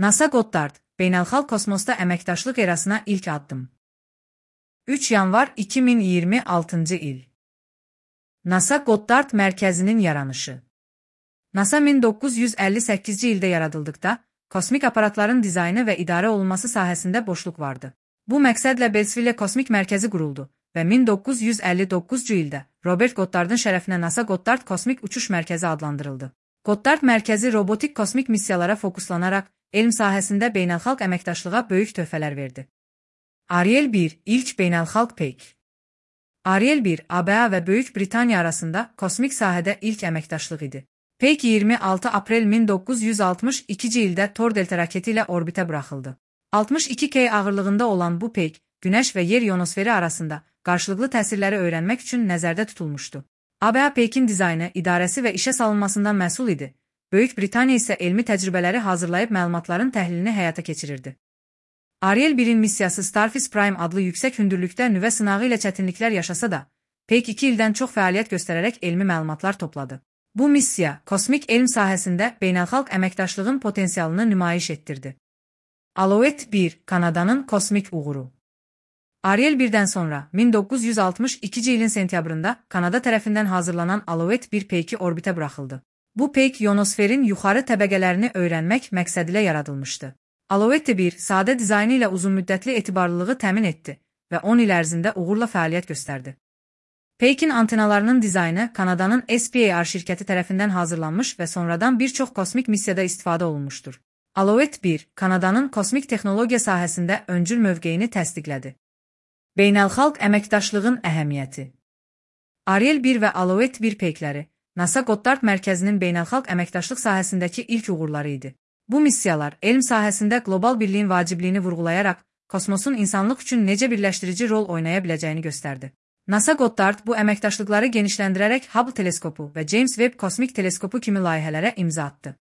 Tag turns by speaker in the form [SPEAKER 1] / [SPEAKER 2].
[SPEAKER 1] NASA Goddard, beynəlxalq kosmosda əməkdaşlıq erasına ilk addım. 3 yanvar 2026 il. NASA Goddard mərkəzinin yaranışı. NASA 1958-ci ildə yaradıldıqda, kosmik aparatların dizaynı və idarə olunması sahəsində boşluq vardı. Bu məqsədlə Bellsville Kosmik Mərkəzi quruldu və 1959-cu ildə Robert Goddard'ın şərəfinə NASA Goddard Kosmik Uçuş Mərkəzi adlandırıldı. Goddard mərkəzi robotik kosmik missiyalara fokuslanaraq, elm sahəsində beynəlxalq əməkdaşlığa böyük töhfələr verdi. Ariel 1 ilk beynəlxalq peyk. Ariel 1, ABA və Böyük Britaniya arasında kosmik sahədə ilk əməkdaşlıq idi. Peyk 26 aprel 1962-ci ildə Thor delta raketi ilə orbitə buraxıldı. 62 kg ağırlığında olan bu peyk, Günəş və Yer ionosferi arasında qarşılıqlı təsirləri öyrənmək üçün nəzərdə tutulmuşdu. ABA peykin dizaynı, idarəsi və işə salınmasından məsul idi. Böyük Britaniya isə elmi təcrübələri hazırlayıb məlumatların təhlilini həyata keçirirdi. Ariel 1-in missiyası Starfish Prime adlı yüksək hündürlükdə nüvə sınağı ilə çətinliklər yaşasa da, Peyk 2 ildən çox fəaliyyət göstərərək elmi məlumatlar topladı. Bu missiya, kosmik elm sahəsində beynəlxalq əməkdaşlığın potensialını nümayiş etdirdi. Alouette 1, Kanadanın kosmik uğuru. Ariel 1-dən sonra 1962-ci ilin sentyabrında Kanada tərəfindən hazırlanan Alouette 1 peyki orbitə buraxıldı. Bu peyk ionosferin yuxarı təbəqələrini öyrənmək məqsədilə yaradılmışdı. Alouette 1 sadə dizaynı ilə uzunmüddətli etibarlılığı təmin etdi və 10 il ərzində uğurla fəaliyyət göstərdi. Peykin antenalarının dizaynı Kanadanın SPAR şirkəti tərəfindən hazırlanmış və sonradan bir çox kosmik missiyada istifadə olunmuşdur. Alouette 1, Kanadanın kosmik texnologiya sahəsində öncül mövqeyini təsdiqlədi. Beynəlxalq əməkdaşlığın əhəmiyyəti. Ariel 1 və Alouette 1 peykləri NASA Goddard mərkəzinin beynəlxalq əməkdaşlıq sahəsindəki ilk uğurları idi. Bu missiyalar elm sahəsində qlobal birliyin vacibliyini vurğulayaraq, kosmosun insanlıq üçün necə birləşdirici rol oynaya biləcəyini göstərdi. NASA Goddard bu əməkdaşlıqları genişləndirərək Hubble teleskopu və James Webb kosmik teleskopu kimi layihələrə imza atdı.